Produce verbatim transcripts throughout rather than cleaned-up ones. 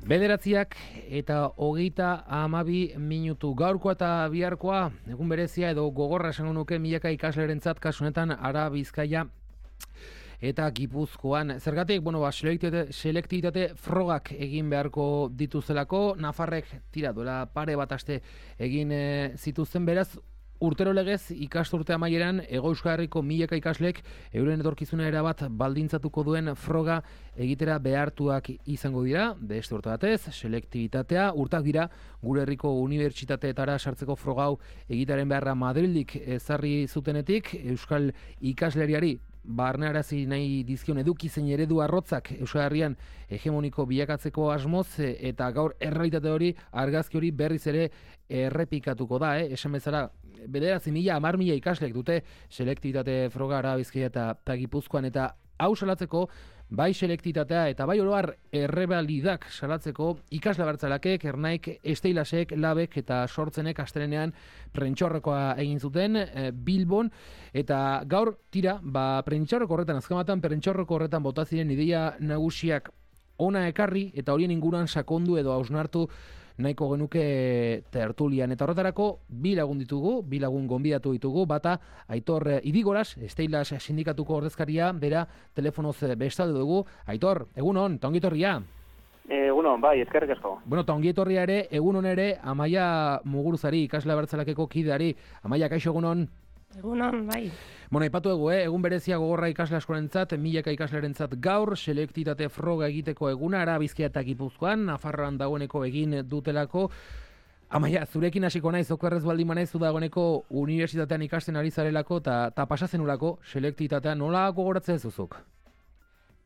Bederatziak eta hogeita hamabi minutu. Gaurkoa eta biharkoa, egun berezia edo gogorra esango nuke milaka ikaslerentzat, kasunetan Ara Bizkaia eta Gipuzkoan. Zergatik, bueno, ba, selektitate, selektitate frogak egin beharko dituzelako, Nafarrek tira duela pare bat aste egin e, zituzten, beraz, urtero legez ikasturte amaieran Hego Euskal Herriko milaka ikaslek euren etorkizuna erabat baldintzatuko duen froga egitera behartuak izango dira. Beste urte batez, selektibitatea urtak dira gure herriko unibertsitateetara sartzeko froga hau egitaren beharra Madrildik ezarri zutenetik, Euskal ikasleriari barnearazi nahi dizkion eduki zein eredu arrotzak Euskal Herrian hegemoniko bilakatzeko asmoz, eta gaur errealitate hori, argazki hori berriz ere errepikatuko da, eh? Esan bezala, bederatzi mila, hamar mila ikaslek dute selektibitate froga Ara Bizkaia eta Gipuzkoan, eta hau salatzeko, bai selektitatea eta bai oro har errebalidak salatzeko ikasle abertzalakek, Ernaik, Esteilasek, Labek eta Sortzenek astelehenean prentxaurrekoa egin zuten e, Bilbon, eta gaur tira, ba prentxaurreko horretan, azkamatan prentxaurreko horretan bota ziren ideia nagusiak ona ekarri eta horien inguruan sakondu edo hausnartu nahiko genuke tertulian. Eta horretarako bi lagun ditugu, bi lagun gonbidatu ditugu, bata Aitor Idigoras, Esteilas sindikatuko ordezkaria, bera telefonoz bestalde dugu. Aitor, egunon, ta ongi etorria. Egunon, bai, eskerrik asko. Bueno, ta ongi etorria ere, egunon ere, Amaia Muguruzari, ikasle abertzalakeko kideari. Amaia, kaixo, egunon. Egunon, bai. Bueno, aipatu dugu, eh? Egun berezia gogorra ikasle askorentzat, milaka ikaslerentzat gaur, selektitate froga egiteko eguna, Ara Bizkaia eta Gipuzkoan, Nafarroan dagoeneko egin dutelako. Amaia, zurekin hasiko naiz, okerrez baldin manaiz, zu dagoeneko unibertsitatean ikasten ari zarelako, eta pasatzen ulako selektitatea nola gogoratzen ez duzuk?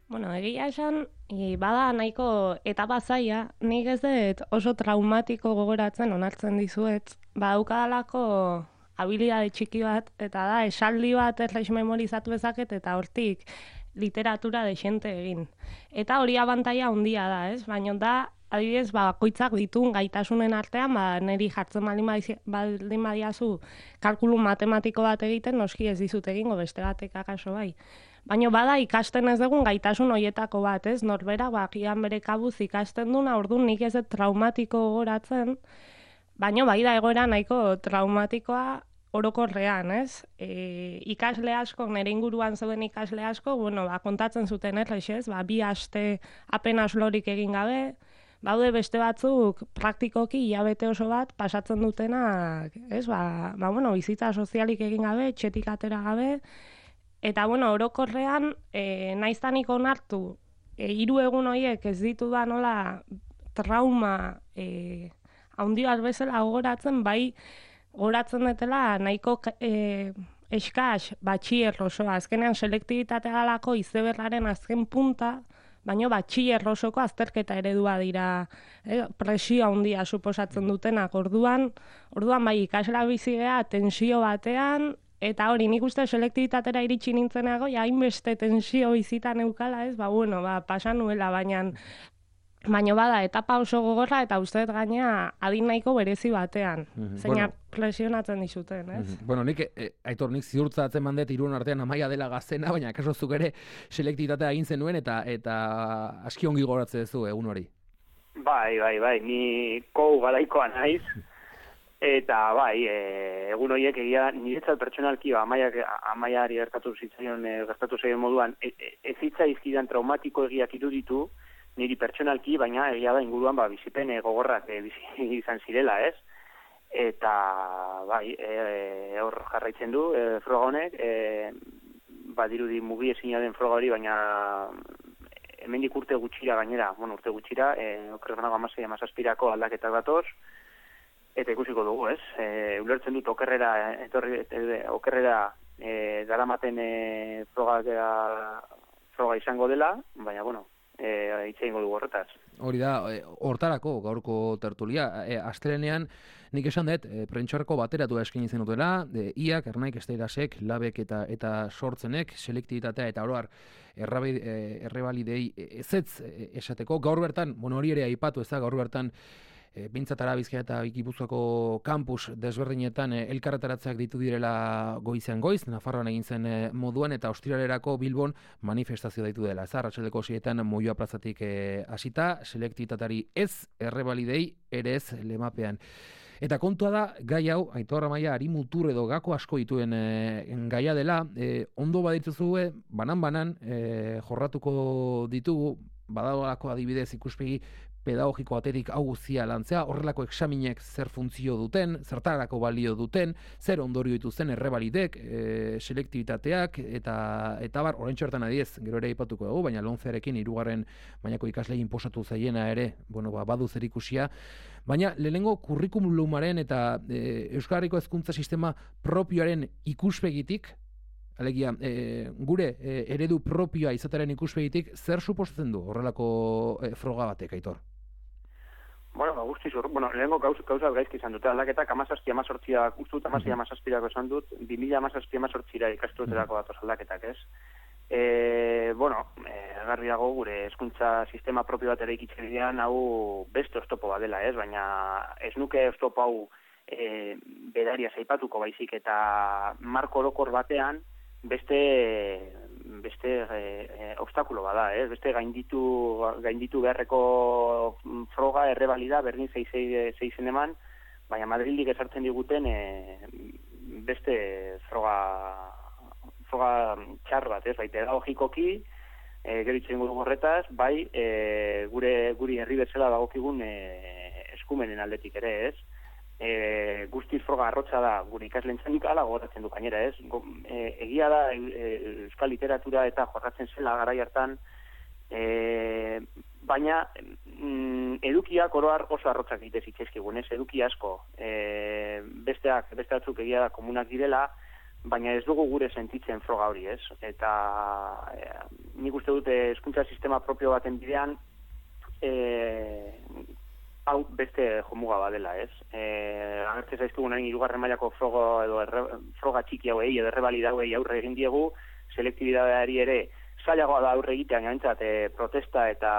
Bueno, egia esan, bada nahiko etapa zaila, nik ez dut oso traumatiko gogoratzen onartzen dizuet, badaukadalako habilidade txiki bat, eta da, esaldi bat erraiz memorizatu bezaket, eta hortik literatura dexente egin. Eta hori abantaia handia da, ez? Baina da, adibidez, bakoitzak ditun gaitasunen artean, ba, niri jartzen baldin badiazu kalkulu matematiko bat egiten, noski ez dizut egingo, beste batek akaso bai. Baina bada ikasten ez dugun gaitasun horietako bat, ez? Norbera, bakian bere kabuz ikasten duna, orduan nik ez dut traumatiko gogoratzen, baina bai da egoera nahiko traumatikoa orokorrean, ez? E, ikasle asko, nire inguruan zeuden ikasle asko, bueno, ba, kontatzen zuten errex, ez? Ba, bi aste apenas lorik egin gabe, baude beste batzuk praktikoki hilabete oso bat pasatzen dutenak, ez? Ba, ba bueno, bizitza sozialik egin gabe, txetik atera gabe, eta, bueno, orokorrean, e, naiztanik onartu, e, hiru egun horiek ez ditu da nola trauma, e, haundi bat bezala gogoratzen, bai gogoratzen dutela nahiko e, eskaz batxier osoa. Azkenean selektibitatea galako izeberraren azken punta, baina batxier osoko azterketa eredua dira, e, presio handia suposatzen dutenak. Orduan, orduan bai ikasla bizigea tensio batean, eta hori nik uste selektibitatera iritsi nintzenago, ja hainbeste tensio bizitan eukala, ez? Ba, bueno, ba, pasan nuela, baina Baina bada, etapa oso gogorra eta uste dut gaina adin nahiko berezi batean. Mm-hmm. Zeina bueno, presionatzen dizuten, ez? Mm-hmm. Bueno, nik, e, Aitor, nik ziurtzatzen mandet Irun artean Amaia dela gaztena, baina kaso zuk ere selektitatea egin zenuen eta eta aski ongi gogoratzen duzu egun hori. Bai, bai, bai, ni kou garaikoa naiz, eta bai, e, egun horiek egia niretzat pertsonalki, ba, Amaiak, Amaiari gertatu zitzaion, e, gertatu zaion moduan, e, e, ez zitzaizkidan traumatiko egiak iruditu, niri pertsonalki, baina egia da inguruan ba, bizipen gogorrak e, bizi izan zirela, ez? Eta, bai, e, hor jarraitzen du, e, froga honek, e, badirudi mugi ezina den froga hori, baina hemendik urte gutxira gainera, bueno, urte gutxira, e, okerrenago amasei amazazpirako aldaketak datoz, eta ikusiko dugu, ez? E, ulertzen dut okerrera, etorri, e, okerrera e, daramaten e, froga, froga izango dela, baina, bueno, E, itxeingo dugu horretaz. Hori da, e, hortarako gaurko tertulia. E, Astelenean nik esan dut, e, prentxarko bateratu eskaini zen dutela, e, Iak, Ernaik, Esteilasek, Labek eta eta Sortzenek, selektibitatea eta oroar errebalidei ezetz esateko. Gaur bertan, bueno, hori ere aipatu ez da, gaur bertan e, bintzat Arabizkia eta Gipuzkoako kampus desberdinetan e, elkarretaratzeak ditu direla goizean goiz, Nafarroan egin zen e, moduan, eta ostiralerako Bilbon manifestazio daitu dela. Ez arratsaldeko sietan Moioa plazatik e, hasita, selektibitatari ez, errebalidei ere ez lemapean. Eta kontua da, gai hau, Aitor Amaia, ari mutur edo gako asko dituen e, gaia dela, e, ondo badituzue, banan-banan, e, jorratuko ditugu, badagolako adibidez ikuspegi pedagogiko batetik hau guztia lantzea, horrelako examinek zer funtzio duten, zertarako balio duten, zer ondorio dituzten errebalidek, e, selektibitateak, eta eta bar, oraintxe hortan adiez, gero ere aipatuko dugu, baina loncearekin hirugarren mailako ikaslei inposatu zaiena ere, bueno, ba, badu zerikusia, baina lehenengo kurrikulumaren eta e, Euskal Herriko hezkuntza sistema propioaren ikuspegitik, alegia, e, gure e, eredu propioa izateren ikuspegitik, zer suposatzen du horrelako e, froga batek, Aitor? Bueno, ba, guztiz, bueno, lehenengo gauz, gauzat gaizki izan dute, aldaketak amazazpi amazortziak, uste dut amazazpi amazazpirako esan dut, bi mila amazazpi amazortzira ikastuetarako datoz aldaketak, ez? E, bueno, e, garbi dago gure hezkuntza sistema propio bat ere ikitzen hau beste oztopo bat dela, ez? Baina ez nuke oztopo hau e, bedaria zaipatuko baizik, eta marko orokor batean beste beste e, e, obstakulo bada, eh? Beste gainditu gainditu beharreko froga errebalida berdin zeizen eman, baina Madrildik ezartzen diguten e, beste froga froga txar bat, ez? Bai, pedagogikoki, e, gero itzen gudu horretaz, bai, e, gure guri herri bezala dagokigun e, eskumenen aldetik ere, ez? E, guztiz froga arrotza da gure ikaslentzak ala gogoratzen du gainera, ez? E, egia da e, euskal literatura eta jorratzen zela garai hartan, e, baina mm, edukiak oroar oso arrotzak egite zitzaizkigun, ez? Eduki asko, e, besteak, beste batzuk egia da komunak direla, baina ez dugu gure sentitzen froga hori, ez? Eta e, nik uste dute hezkuntza sistema propio baten bidean, e, hau beste jomuga badela, ez? Eh, agertzen zaizkigunaren hirugarren mailako froga edo erre, froga txiki hauei edo errebalida hauei aurre egin diegu, selektibidadeari ere zailagoa da aurre egitean gaintzat e, protesta eta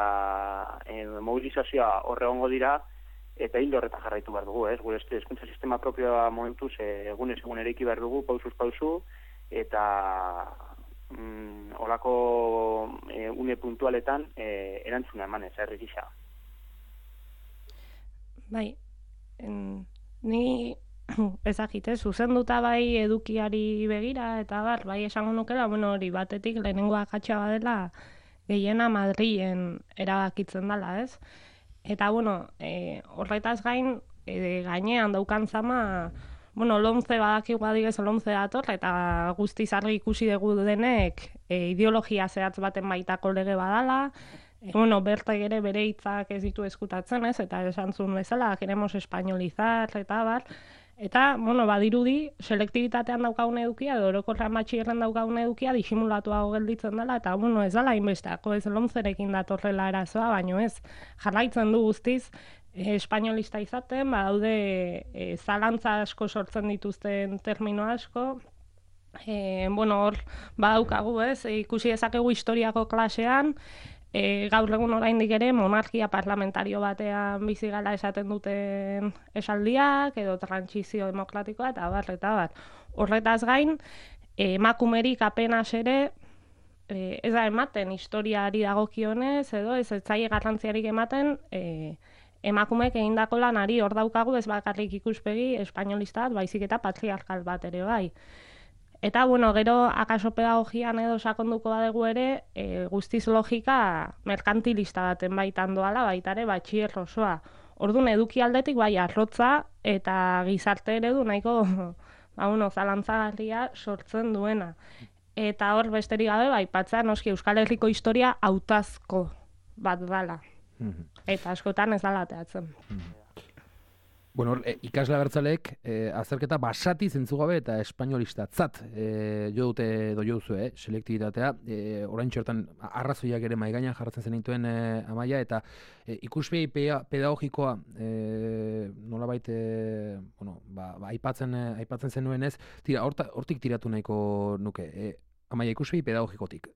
e, mobilizazioa horre egongo dira, eta hildo horretan jarraitu behar dugu, ez? Gure hezkuntza sistema propioa momentuz e, egunez egun eraiki behar dugu, pausuz pausu, eta mm, olako e, une puntualetan e, erantzuna emanez, herri gisa. Bai, en, ni ezagite, zuzenduta bai edukiari begira, eta bar, bai esango nukela, bueno, hori batetik lehenengo akatsa badela gehiena Madrilen erabakitzen dela, ez? Eta, bueno, e, horretaz gain, e, gainean daukan zama, bueno, lomce badakigu adibidez lomce dator, eta guztiz argi ikusi dugu denek e, ideologia zehatz baten baitako lege badala, E, bueno, bertak ere bere hitzak ez ditu eskutatzen, ez? Eta esan zuen bezala, queremos españolizar, eta bar. Eta, bueno, badirudi, selektibitatean daukagun edukia, edo orokorrean batxillerren daukagun edukia, disimulatuago gelditzen dela, eta, bueno, ez dela inbesteako, ez lomzerekin datorrela arazoa, baino ez, jarraitzen du guztiz, e, espainolista izaten, badaude e, zalantza asko sortzen dituzten termino asko, e, bueno, hor, badaukagu, ez, ikusi dezakegu historiako klasean, E, gaur egun oraindik ere monarkia parlamentario batean bizi gala esaten duten esaldiak edo trantsizio demokratikoa eta bar eta bar. Horretaz gain, emakumerik apenas ere e, ez da ematen historiari dagokionez edo ez etzaile garrantziarik ematen e, emakumeek egindako lanari hor daukagu ez bakarrik ikuspegi espainolista bat, baizik eta patriarkal bat ere bai. Eta, bueno, gero, akaso pedagogian edo sakonduko badegu ere, e, guztiz logika merkantilista baten baitan doala, baitare batxier osoa. Orduan, eduki aldetik bai arrotza eta gizarte eredu nahiko, ba, uno, zalantzagarria sortzen duena. Eta hor, besterik gabe, bai, patza, noski, Euskal Herriko historia hautazko bat dala. Eta askotan ez dala teatzen. Bueno, e, ikasle abertzaleek e, azterketa basati zentzugabe eta espainolistatzat e, jo dute edo jo duzu, eh, selektibitatea. E, orain txortan arrazoiak ere maigainan jarratzen zen dituen e, Amaia, eta e, ikuspegi pedagogikoa e, nolabait e, bueno, ba, ba, aipatzen, aipatzen zenuen ez, tira, horta, hortik tiratu nahiko nuke. E, Amaia, ikuspegi pedagogikotik.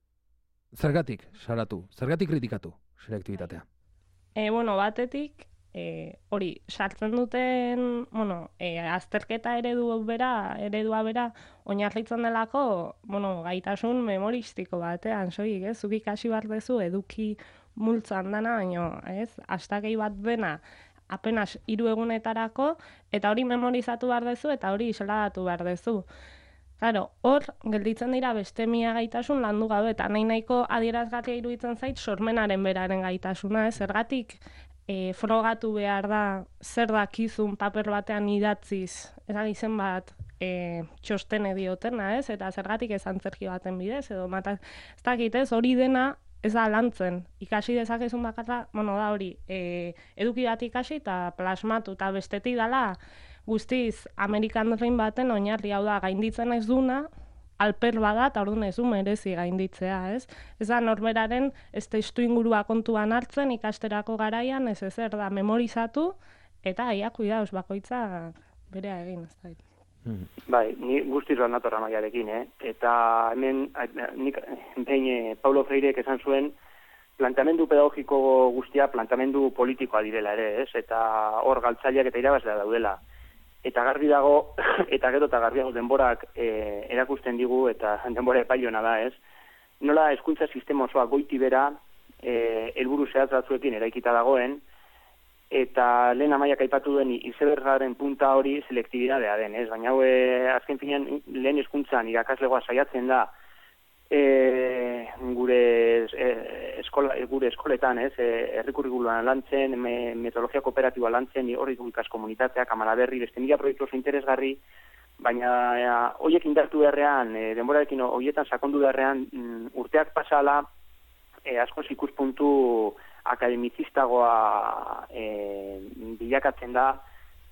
Zergatik salatu, zergatik kritikatu selektibitatea? E, bueno, batetik, e, hori, sartzen duten, bueno, e, azterketa eredu bera, eredua bera, oinarritzen delako, bueno, gaitasun memoristiko batean, soik, ez? Zuk ikasi behar dezu eduki multzan dana, baino, ez? Astakei bat dena, apenas hiru egunetarako, eta hori memorizatu behar dezu, eta hori isladatu behar dezu. Claro, hor, gelditzen dira beste mila gaitasun landu gabe, eta nahi nahiko adierazgarria iruditzen zait sormenaren beraren gaitasuna, ez? Zergatik e, frogatu behar da zer dakizun paper batean idatziz, ezagizen bat e, txostene diotena, ez? Eta zergatik ez antzerki baten bidez, edo mata, ez dakit, ez? Hori dena ez da lantzen. Ikasi dezakezun bakarra, bueno, da hori, e, eduki bat ikasi eta plasmatu, eta bestetik dala, guztiz, Amerikan Dream baten oinarri hau da gainditzen ez duna, alper bada, eta orduan ez du merezi gainditzea, ez? Ez da norberaren ez testu ingurua kontuan hartzen ikasterako garaian, ez ezer da memorizatu, eta aia, kuidauz, bakoitza berea egin, ez da. Bai, ni guztiz bat natorra maiarekin, eh? Eta hemen, nik, behin, Paulo Freirek esan zuen, planteamendu pedagogiko guztia planteamendu politikoa direla ere, ez? Eta hor galtzaileak eta irabazlea daudela. Eta garbi dago, eta gero eta garbiago denborak e, erakusten digu, eta denbora epailona da, ez? Nola hezkuntza sistema osoa goiti bera, e, helburu zehatz batzuekin eraikita dagoen, eta lehen amaiak aipatu duen izebergaren punta hori selektibidadea den, ez? Baina hau, e, azken finean, lehen hezkuntzan irakaslegoa saiatzen da, e, gure, e, eskola, gure eskoletan, ez? E, errikurrikuloan lantzen, me, metodologia kooperatiboa lantzen, hori ikas komunitateak, Amalaberri, beste mila proiektu oso interesgarri, baina e, horiek indartu beharrean, e, denborarekin horietan sakondu beharrean, mm, urteak pasala, e, askoz ikuspuntu akademizistagoa e, bilakatzen da,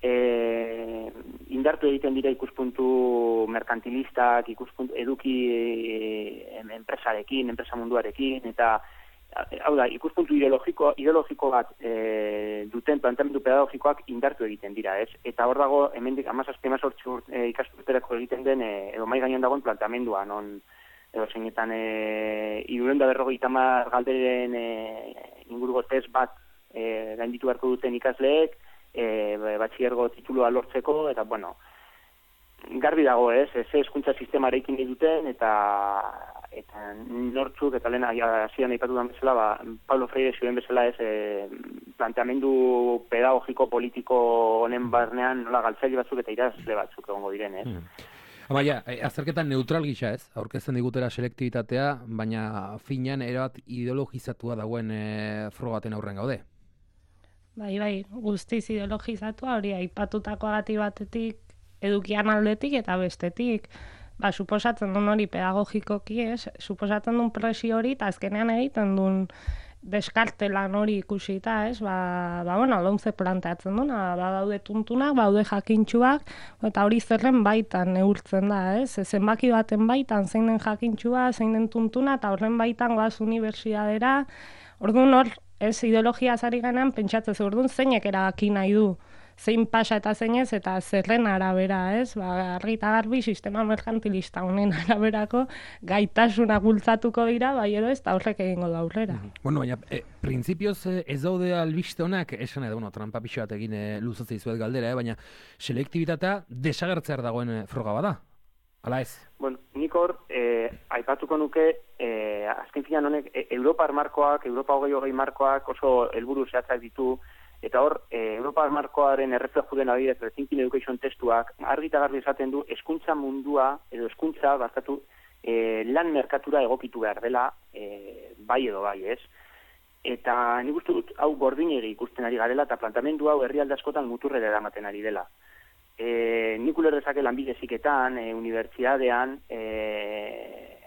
e, indartu egiten dira ikuspuntu merkantilistak, ikuspuntu eduki e, enpresarekin, enpresa munduarekin, eta hau da, ikuspuntu ideologiko, ideologiko bat e, duten planteamendu pedagogikoak indartu egiten dira, ez? Eta hor dago, hemendik hamazazpi hemezortzi e, ikasturterako egiten den, e, edo mai gainean dagoen planteamendua, non edo zeinetan e, hirurehun eta berrogeita hamar galderen e, inguruko test bat e, gainditu beharko duten ikasleek, e, batxilergo titulua lortzeko, eta bueno, garbi dago, ez, ez hezkuntza sistemarekin nahi duten, eta eta nortzuk, eta lehen hasieran aipatu den bezala, ba, Paulo Freire zioen bezala, ez, e, planteamendu pedagogiko politiko honen barnean nola galtzaile batzuk eta irazle batzuk egongo diren, ez? Hmm. Baina, azterketan neutral gisa, ez? Aurkezten digutera selektibitatea, baina finean erabat ideologizatua dagoen e, frogaten aurren gaude. Bai, bai, guztiz ideologizatua, hori aipatutakoagatik batetik, edukian aldetik eta bestetik. Ba, suposatzen duen hori pedagogikoki, ez? Suposatzen duen presio hori, eta azkenean egiten duen deskartelan hori ikusita, ez? Ba, ba bueno, lomce planteatzen duen, ba, daude tuntunak, baude jakintxuak, eta hori zerren baitan neurtzen da, ez? Zenbaki baten baitan, zein den jakintxua, zein den tuntuna, eta horren baitan goaz unibertsitatera, orduan hor, ez, ideologia zari ganean, pentsatzen zu, orduan zeinek erabaki nahi du, zein pasa eta zeinez, eta zerren arabera, ez? Ba, argi eta garbi sistema merkantilista honen araberako gaitasunak bultzatuko dira, bai edo ez, eta horrek egingo da aurrera. Bueno, baina, e, printzipioz ez daude albiste honak, esan edo, bueno, trampa pixo bat egin e, luzatzea izuet galdera, eh? Baina selektibitatea desagertzear dagoen e, froga bada, ala ez? Bueno, nik hor, e, aipatuko nuke, e, azken finan honek, e, Europar markoak, Europa hogei hogei markoak oso helburu zehatzak ditu, eta hor, e, Europa markoaren errefleju den adibidez, Rethinking Education testuak, argi eta garbi esaten du, hezkuntza mundua, edo hezkuntza, barkatu, e, lan merkatura egokitu behar dela, e, bai edo bai, ez? Eta nik uste dut, hau gordinegi ikusten ari garela, eta plantamendu hau herrialde askotan muturrera eramaten ari dela. E, nik ulerrezake lanbide heziketan, e, unibertsitatean, e,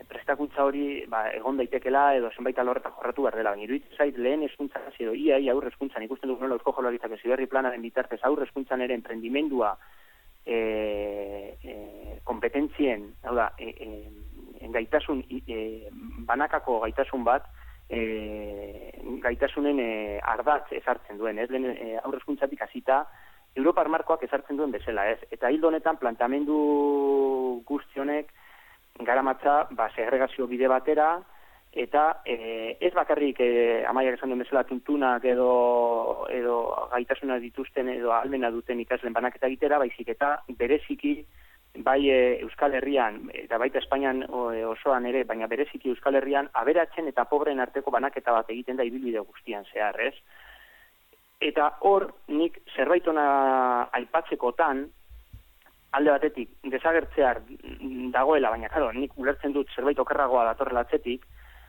prestakuntza hori ba, egon daitekela edo zenbait alorretan jorratu behar dela. Baina iruditzen zait lehen hezkuntza edo ia ia aurre hezkuntzan ikusten dut nola Eusko Jaurlaritzak Heziberri planaren bitartez aurre hezkuntzan ere enprendimendua e, e, kompetentzien, hau da, e, e, gaitasun e, banakako gaitasun bat e, gaitasunen e, ardatz ezartzen duen, ez? Lehen e, aurre hezkuntzatik hasita Europar markoak ezartzen duen bezala, ez? Eta hildo honetan plantamendu guzti honek garamatza, ba, segregazio bide batera, eta e, ez bakarrik e, Amaiak esan duen bezala tuntunak edo, edo gaitasuna dituzten edo ahalmena duten ikasleen banaketa egitera, baizik eta bereziki bai e, Euskal Herrian eta baita Espainian osoan ere, baina bereziki Euskal Herrian aberatzen eta pobreen arteko banaketa bat egiten da ibilbide guztian zehar, ez? Eta hor nik zerbait ona aipatzekotan, alde batetik, desagertzear dagoela, baina claro, nik ulertzen dut zerbait okerragoa datorrela atzetik,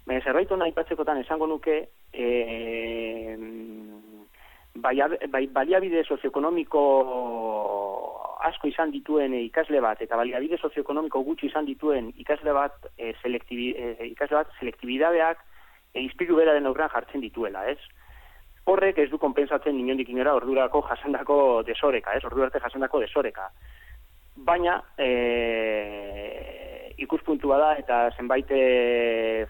baina zerbait ona aipatzekotan esango nuke e, bai, bai, baliabide sozioekonomiko asko izan dituen ikasle bat, eta baliabide sozioekonomiko gutxi izan dituen ikasle bat, e, selektibi, e, ikasle bat selektibidadeak e, izpilu beraren aurrean jartzen dituela, ez? Horrek ez du konpensatzen inondik inora ordurako jasandako desoreka, ez? Ordu arte jasandako desoreka. Baina e, ikuspuntua da eta zenbait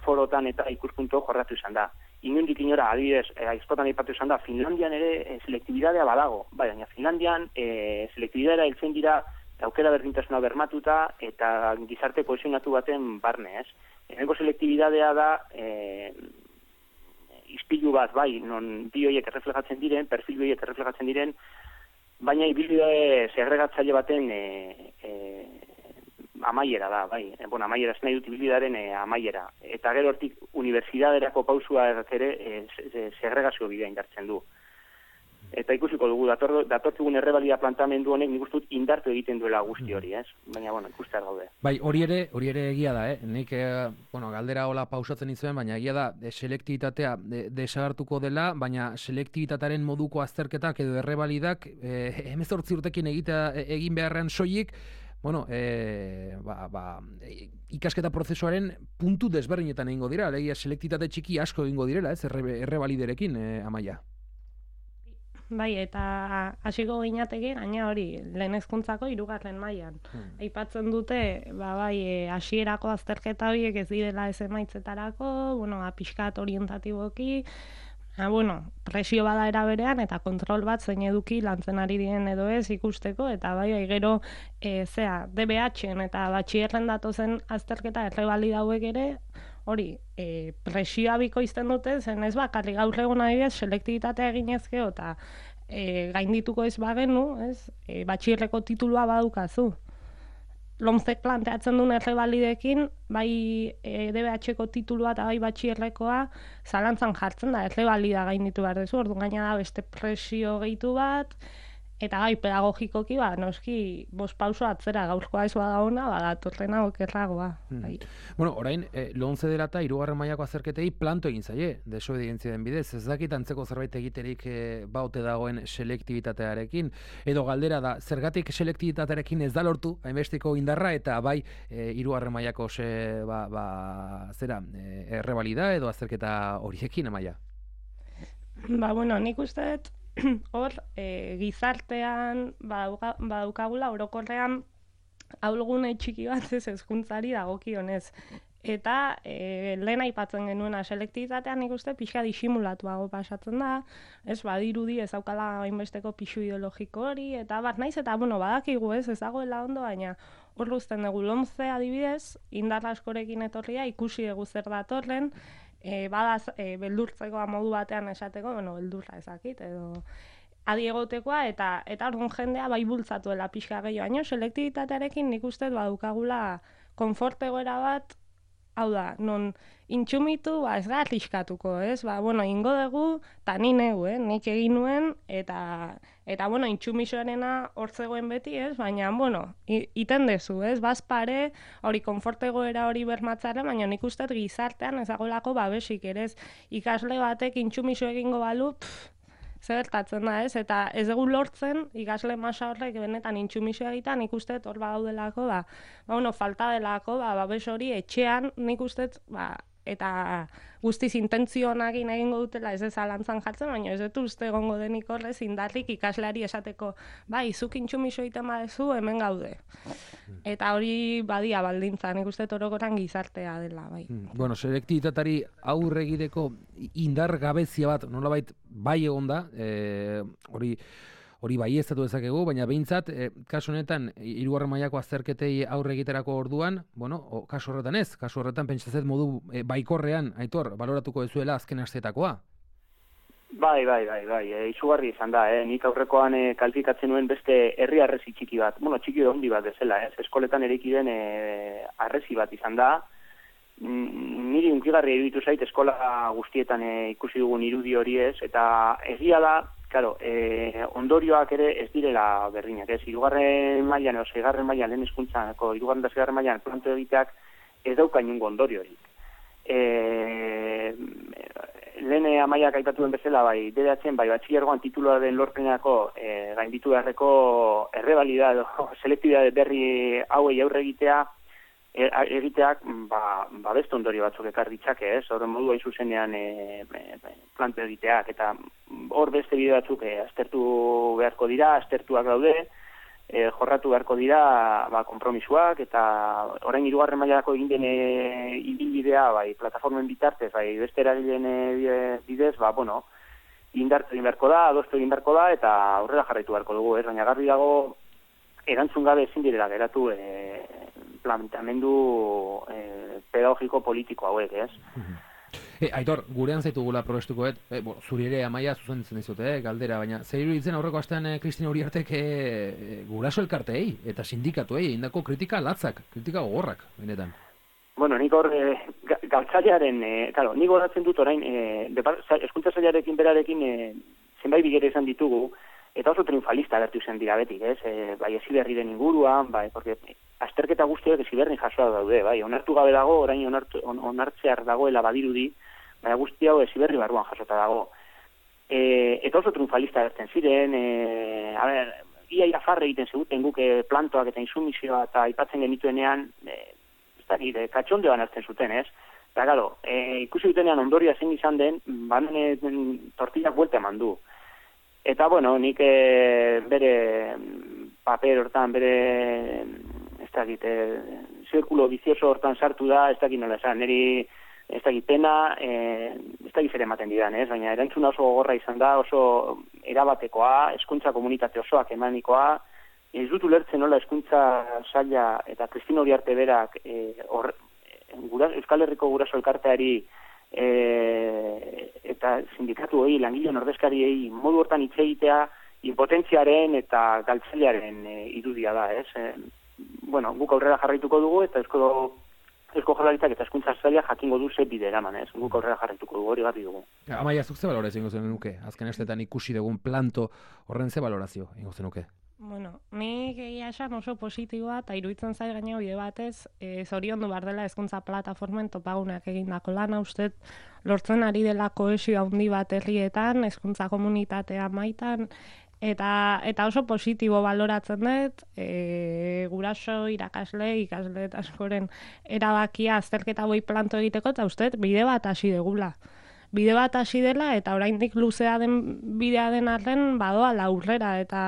forotan eta ikuspuntu jorratu izan da. Inondik inora, adibidez, aizkotan aipatu izan da, Finlandian ere e, selektibidadea badago. Bai, baina Finlandian e, selektibidadea heltzen dira aukera berdintasuna bermatuta eta gizarte kohesionatu baten barne, ez? Hemengo selektibidadea da e, ispilu bat, bai, non bi horiek erreflejatzen diren, perfil horiek erreflejatzen diren, baina ibilbide segregatzaile baten e, e, amaiera da, bai. E, bueno, amaiera ez nahi dut ibilbidearen e, amaiera. Eta gero hortik unibertsitaterako pausua ere e, segregazio bidea indartzen du. Eta ikusiko dugu, dator, datortugun errebalida plantamendu honek nik uste dut indartu egiten duela guzti hori, ez? Baina, bueno, ikustear gaude. Bai, hori ere, hori ere egia da, eh? Nik, eh, bueno, galdera hola pausatzen izuen, baina egia da, de, selektibitatea de, desagertuko dela, baina selektibitatearen moduko azterketak edo errebalidak eh, hemezortzi urtekin egita, egin beharrean soilik, bueno, eh, ba, ba, ikasketa prozesuaren puntu desberdinetan egingo dira, alegia selektibitate txiki asko egingo direla, ez? Erre, errebaliderekin, eh, Amaia. Bai, eta hasiko gineateke gaina hori, lehen hezkuntzako hirugarren mailan. Hmm. Aipatzen dute, ba bai, hasierako azterketa horiek ez direla ez emaitzetarako, bueno, pixkat orientatiboki, ha, bueno, presio bada era berean eta kontrol bat zein eduki lantzen ari diren edo ez ikusteko, eta bai, bai gero, e, zea, D B H-en eta batxierren datozen azterketa errebalida hauek ere, hori, e, presioa bikoizten dute, zen ez bakarri gaur egun adibidez selektibitatea eginezkeo eta e, gaindituko ez bagenu, ez, e, batxierreko titulua badukazu. Lomzek planteatzen duen errebalidekin, bai e, D B H-ko titulua eta bai batxierrekoa zalantzan jartzen da, errebalida gainditu behar dezu, ordu gaina da beste presio gehitu bat, eta bai, pedagogikoki, ba, noski, bost pauso atzera gaurkoa ez bada ona, ba, datorrena okerragoa. Hmm. Bai. Bueno, orain, eh, lomze dela eta hirugarren mailako azterketei planto egin zaie, desobedientzia den bidez, ez dakit antzeko zerbait egiterik eh, baute dagoen selektibitatearekin, edo galdera da, zergatik selektibitatearekin ez da lortu, hainbesteko indarra, eta bai, eh, hirugarren mailako se, ba, ba, zera, eh, errebalida edo azterketa horiekin, Amaia? Ba, bueno, nik uste dut, hor, e, gizartean badukagula orokorrean ahulgune txiki bat ez hezkuntzari dagokionez. Eta e, lehen aipatzen genuena selektibitatean nik uste pixka disimulatuago pasatzen da, ez badirudi ez daukala hainbesteko pixu ideologiko hori, eta bat naiz eta bueno, badakigu ez, ez dagoela ondo, baina hor uzten dugu lomze adibidez, indar askorekin etorria, ikusi dugu zer datorren, E, badaz, e, beldurtzeko modu batean esateko, bueno, beldurra ezakit, edo adi egotekoa, eta eta orduan jendea bai bultzatuela pixka gehiago, baina selektibitatearekin nik uste badukagula konfort egoera bat, hau da, non intsumitu, ba, ez gara arriskatuko, ez? Ba, bueno, ingo dugu, eta ni neu, eh? Nik egin nuen, eta, eta bueno, intsumisoarena hor zegoen beti, ez? Baina, bueno, iten dezu, ez? Baz pare, hori konfortegoera hori bermatzaren, baina nik uste gizartean ezagolako babesik, ere ez? Ikasle batek intsumiso egingo balu, pff, zertatzen da, ez? Eta ez dugu lortzen, ikasle masa horrek benetan intsumisio egiten, nik uste hor badaudelako, ba, ba, bueno, falta delako, ba, babes hori etxean, nik uste, ba, eta guztiz intentzionakin egingo dutela ez zalantzan jartzen, baina ez dut uste egongo denik horrez indarrik ikasleari esateko, bai, zuk intsumiso egiten badezu, hemen gaude. Eta hori badia baldintza, nik uste orokorrean gizartea dela, bai. Bueno, selektibitatari aurre egiteko indar gabezia bat, nolabait bai egon da, e, hori hori baieztatu dezakegu, baina behintzat, e, kasu honetan, hirugarren mailako azterketei aurre egiterako orduan, bueno, o, kasu horretan ez, kasu horretan pentsazet modu e, baikorrean, Aitor, baloratuko dezuela azken astetakoa. Bai, bai, bai, bai, e, izugarri izan da, eh? Nik aurrekoan e, kalifikatzen nuen beste herri arrezi txiki bat, bueno, txiki handi bat bezala, ez? Eskoletan eraiki den e, arrezi bat izan da, niri unkigarri iruditu zait eskola guztietan e, ikusi dugun irudi hori ez, eta egia da, claro, e, ondorioak ere ez direla berdinak, ez? Hirugarren mailan edo seigarren mailan lehen hezkuntzako hirugarren eta seigarren mailan planto egiteak ez dauka inongo ondoriorik. E, lehen amaiak aipatu den bezala, bai, deratzen, bai, batxilergoan tituluaren lorpenako e, gainditu beharreko errebalida edo selektibidade berri hauei aurre egitea, egiteak ba, ba beste ondorio batzuk ekar ditzake, ez? Horren modu hain zuzenean e, e, planto egiteak, eta hor beste bide batzuk e, aztertu beharko dira, aztertuak daude, e, jorratu beharko dira ba, kompromisuak, eta orain hirugarren mailako egin den ibilbidea, bai, plataformen bitartez, bai, beste eragileen bidez, ba, bueno, indartu egin beharko da, adostu egin beharko da, eta aurrera jarraitu beharko dugu, ez? Baina garbi dago, erantzun gabe ezin direla geratu e, planteamendu e, pedagogiko politiko hauek, ez? E, Aitor, gurean zaitugula probestukoet, e, bo, zuri ere amaia zuzentzen dizute, eh, galdera, baina zer iruditzen aurreko astean e, Kristina Uriartek e, e, guraso elkarteei eta sindikatuei indako kritika latzak, kritika gogorrak, benetan. Bueno, nik hor, e, galtzailearen, e, claro, nik horatzen dut orain, e, hezkuntza sailarekin berarekin e, zenbait bigere izan ditugu, eta oso triunfalista agertu zen dira betik, ez? E, bai, Heziberriren inguruan, bai, porque azterketa guztiak Heziberrin jasoa daude, bai, onartu gabe dago, orain onartu, on, onartzear dagoela badirudi, baina guzti hau Heziberri barruan jasota dago. E, eta oso triunfalista agertzen ziren, e, a ber, ia ia farre egiten zeguten guke plantoak eta insumizioa eta aipatzen genituenean, e, ez da, e, katxondeoan hartzen zuten, ez? Eta, galo, e, ikusi dutenean ondoria zein izan den, banen tortillak buelta eman du. Eta, bueno, nik e, bere paper hortan, bere, ez dakit, e, zirkulo bizioso hortan sartu da, ez dakit nola esan, niri, ez dakit pena, e, ez dakit zer ematen didan, ez? Baina erantzuna oso gogorra izan da, oso erabatekoa, hezkuntza komunitate osoak emanikoa, ez dut ulertzen nola hezkuntza saila eta Kristina Uriarte berak e, or, gura, Euskal Herriko guraso elkarteari E, eta sindikatu hori, langileon ordezkariei modu hortan hitz egitea impotentziaren eta galtzailearen e, irudia da, ez? E, bueno, guk aurrera jarraituko dugu eta eusko Eusko Jaurlaritzak eta hezkuntza saila jakingo du ze bide eraman, ez? Guk aurrera jarraituko dugu, hori garbi dugu. Amaia, zuk ze balorazio ingo zenuke? Azken estetan ikusi dugun planto horren ze balorazio ingo zenuke? Bueno, nik egia esan oso positiboa eta iruditzen zait gaina bide batez, e, zoriondu behar dela hezkuntza plataformen topagunak egindako lana, uste lortzen ari dela kohesio handi bat herrietan, hezkuntza komunitatea maitan, eta eta oso positibo baloratzen dut, e, guraso, irakasle, ikasle eta askoren erabakia azterketa hoi planto egiteko, eta uste bide bat hasi degula. Bide bat hasi dela eta oraindik luzea den bidea den arren badoa aurrera eta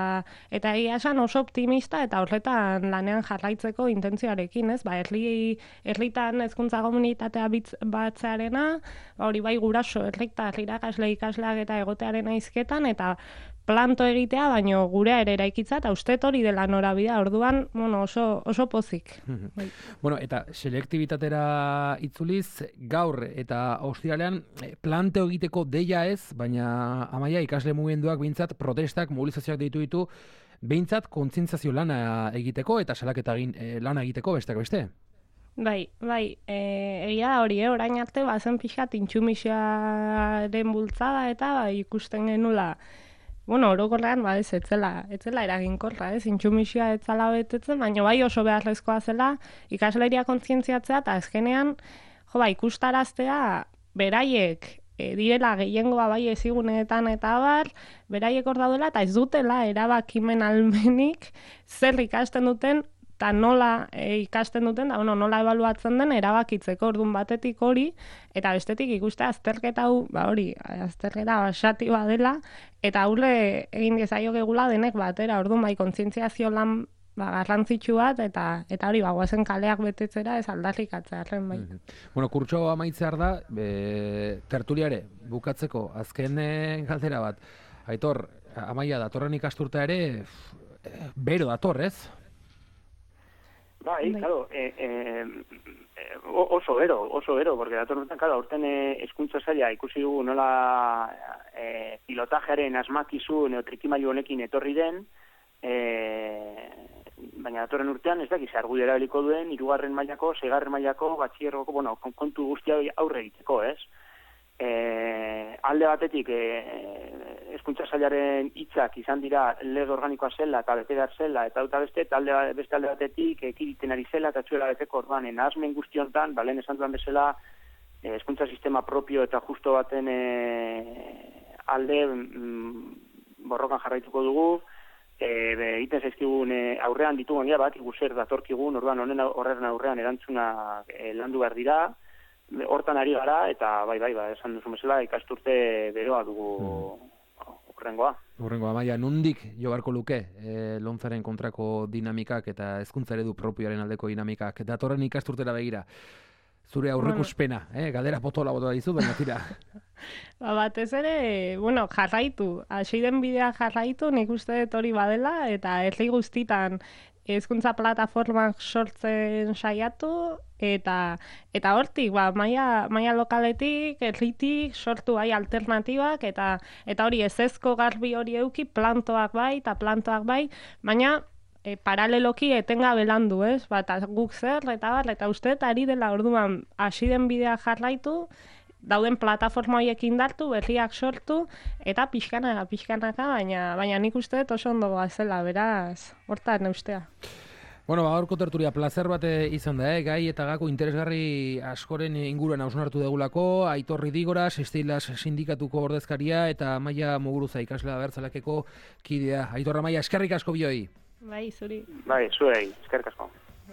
eta egia esan oso optimista eta horretan lanean jarraitzeko intentzioarekin, ez? Ba, herri herritan hezkuntza komunitatea batzearena, ba hori bai guraso, herritar, irakasle, ikasleak eta egotearen hizketan eta planto egitea, baino gurea ere eraikitza eta ustet hori dela norabidea. Orduan, bueno, oso oso pozik. Bai. Bueno, eta selektibitatera itzuliz gaur eta ostiralean planteo egiteko deia ez, baina Amaia ikasle mugimenduak behintzat protestak, mobilizazioak deitu ditu, behintzat kontzientziazio lana egiteko eta salaketa egin e, lana egiteko besteak beste. Bai, bai, e, egia da hori, eh? Orain arte bazen pixkat intsumisioaren bultzada eta bai, ikusten genula. Bueno, orokorrean, ba, ez, etzela, etzela eraginkorra, ez, intsumisioa etzala betetzen, baina bai oso beharrezkoa zela ikasleria kontzientziatzea eta azkenean, jo, ba, ikustaraztea beraiek e, direla gehiengoa bai ezigunetan eta abar, beraiek hor daudela eta ez dutela erabakimen almenik zer ikasten duten eta nola e, ikasten duten, da, bueno, nola ebaluatzen den erabakitzeko ordun batetik hori, eta bestetik ikuste azterketa hau, ba hori, azterketa basati badela, eta haule egin diezaiokegula denek batera, ordun bai kontzientziazio lan ba, garrantzitsu bat, eta eta hori, ba, guazen kaleak betetzera ez aldarrikatzearen bai. Mm-hmm. Bueno, kurtso amaitzear da, e, tertuliare, bukatzeko, azken galdera bat, Aitor, Amaia, datorren ikasturtea ere, bero dator, ez? Bai, claro, eh, eh, oso bero, oso bero, porque datorren urtean, claro, aurten hezkuntza saila ikusi dugu nola eh, pilotajearen asmakizun edo trikimailu honekin etorri den, eh, baina datorren urtean ez dakiz argudio erabiliko duen, hirugarren mailako, seigarren mailako, batxillergoko, bueno, kontu guztia aurre egiteko, ez? E, alde batetik e, hezkuntza sailaren hitzak izan dira lege organikoa zela eta bete behar zela eta eta beste, eta alde, beste alde batetik ekiditen ari zela eta txuela beteko orduan nahasmen guztiontan, balen esan duan bezala hezkuntza sistema propio eta justo baten e, alde mm, borrokan jarraituko dugu, e, egiten zaizkigun e, aurrean ditugun ja bat, iguzer datorkigun, orduan honen horren aurrean erantzuna e, landu behar dira, hortan ari gara, eta bai, bai, ba, esan duzu mesela, ikasturte beroa dugu urrengoa. Mm. Urrengoa, Amaia, nondik jo beharko luke e, lontzaren kontrako dinamikak eta hezkuntza eredu propioaren aldeko dinamikak. Datorren ikasturtera begira, zure aurrekuspena, eh? Galdera potola bota dizu, baina tira. Ba, batez ere, bueno, jarraitu, hasi den bidea jarraitu, nik uste dut hori badela, eta herri guztitan hezkuntza plataformak sortzen saiatu, eta eta hortik, ba, maila, maila lokaletik, herritik, sortu bai alternatibak, eta eta hori ezezko garbi hori euki, plantoak bai, eta plantoak bai, baina e, paraleloki etengabe landu, ez? Ba, eta guk zer, eta bar, eta uste, eta ari dela orduan hasi den bidea jarraitu, dauden plataforma horiek indartu, berriak sortu, eta pixkanaka, pixkanaka, baina, baina nik uste dut oso ondo gazela, beraz, hortan neustea. Bueno, ba, gaurko tertulia plazer bat izan da, eh? Gai eta gako interesgarri askoren inguruan hausnartu degulako, Aitor Ridigoras, Estilas sindikatuko ordezkaria, eta Amaia Muguruza ikaslea bertzalakeko kidea. Aitor, Amaia, eskerrik asko bioi. Bai, zuri. Bai, zuei, eskerrik asko.